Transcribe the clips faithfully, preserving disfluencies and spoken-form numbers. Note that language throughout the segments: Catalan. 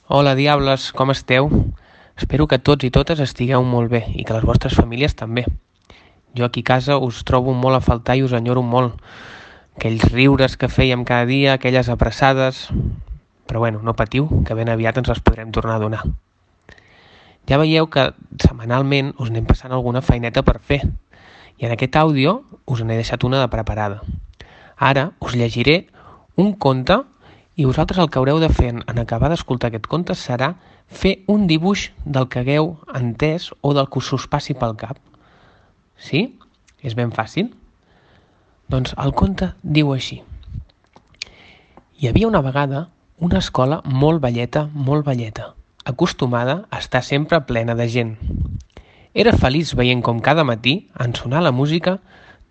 Hola, diables, com esteu? Espero que tots i totes estigueu molt bé i que les vostres famílies també. Jo aquí a casa us trobo molt a faltar i us enyoro molt. Aquells riures que fèiem cada dia, aquelles abraçades... Però bueno, no patiu, que ben aviat ens les podrem tornar a donar. Ja veieu que setmanalment us anem passant alguna feineta per fer i en aquest àudio us n'he deixat una de preparada. Ara us llegiré un conte i vosaltres el que haureu de fer en acabar d'escoltar aquest conte serà fer un dibuix del que hagueu entès o del que us passi pel cap. Sí? És ben fàcil? Doncs el conte diu així. Hi havia una vegada una escola molt velleta, molt velleta, acostumada a estar sempre plena de gent. Era feliç veient com cada matí, en sonar la música,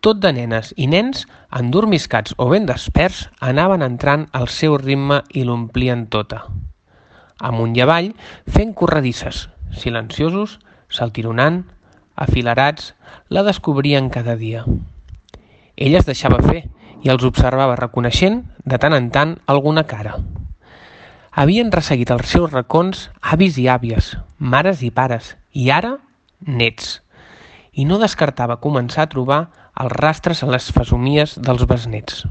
tot de nenes i nens, endormiscats o ben desperts, anaven entrant al seu ritme i l'omplien tota. Amunt i avall, fent corredisses, silenciosos, saltironant, afilerats, la descobrien cada dia. Ella es deixava fer i els observava reconeixent, de tant en tant, alguna cara. Havien resseguit els seus racons avis i àvies, mares i pares, i ara, nets. I no descartava començar a trobar els rastres a les fesomies dels besnets.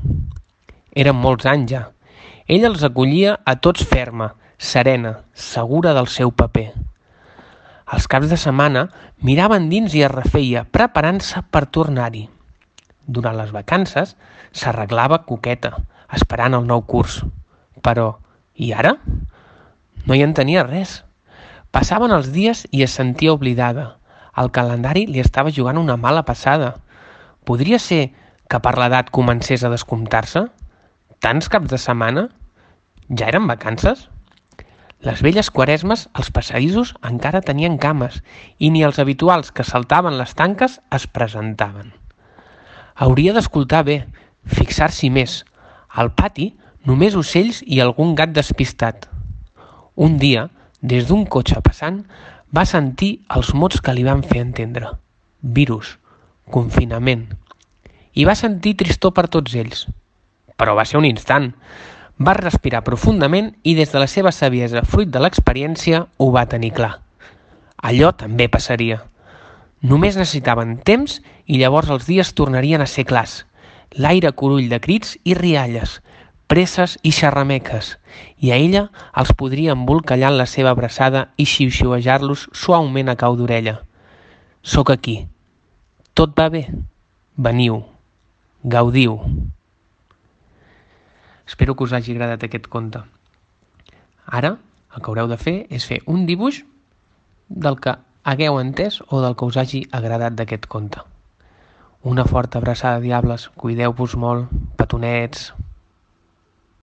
Eren molts anys ja. Ella els acollia a tots ferma, serena, segura del seu paper. Els caps de setmana miraven dins i es refeia, preparant-se per tornar-hi. Durant les vacances s'arreglava coqueta, esperant el nou curs. Però, i ara? No hi entenia res. Passaven els dies i es sentia oblidada. El calendari li estava jugant una mala passada. Podria ser que per l'edat comencés a descomptar-se? Tants caps de setmana? Ja eren vacances? Les velles quaresmes, als passadissos, encara tenien cames i ni els habituals que saltaven les tanques es presentaven. Hauria d'escoltar bé, fixar-s'hi més. Al pati, només ocells i algun gat despistat. Un dia, des d'un cotxe passant, va sentir els mots que li van fer entendre. Virus, confinament. I va sentir tristor per tots ells. Però va ser un instant. Va respirar profundament i des de la seva saviesa, fruit de l'experiència, ho va tenir clar. Allò també passaria. Només necessitaven temps i llavors els dies tornarien a ser clars. L'aire curull de crits i rialles, presses i xerrameques, i a ella els podria embolcallar en la seva abraçada i xiuxiuejar-los suaument a cau d'orella. Soc aquí. Tot va bé. Veniu. Gaudiu. Espero que us hagi agradat aquest conte. Ara, el que haureu de fer és fer un dibuix del que hagueu entès o del que us hagi agradat d'aquest conte. Una forta abraçada, diables. Cuideu-vos molt. Petonets.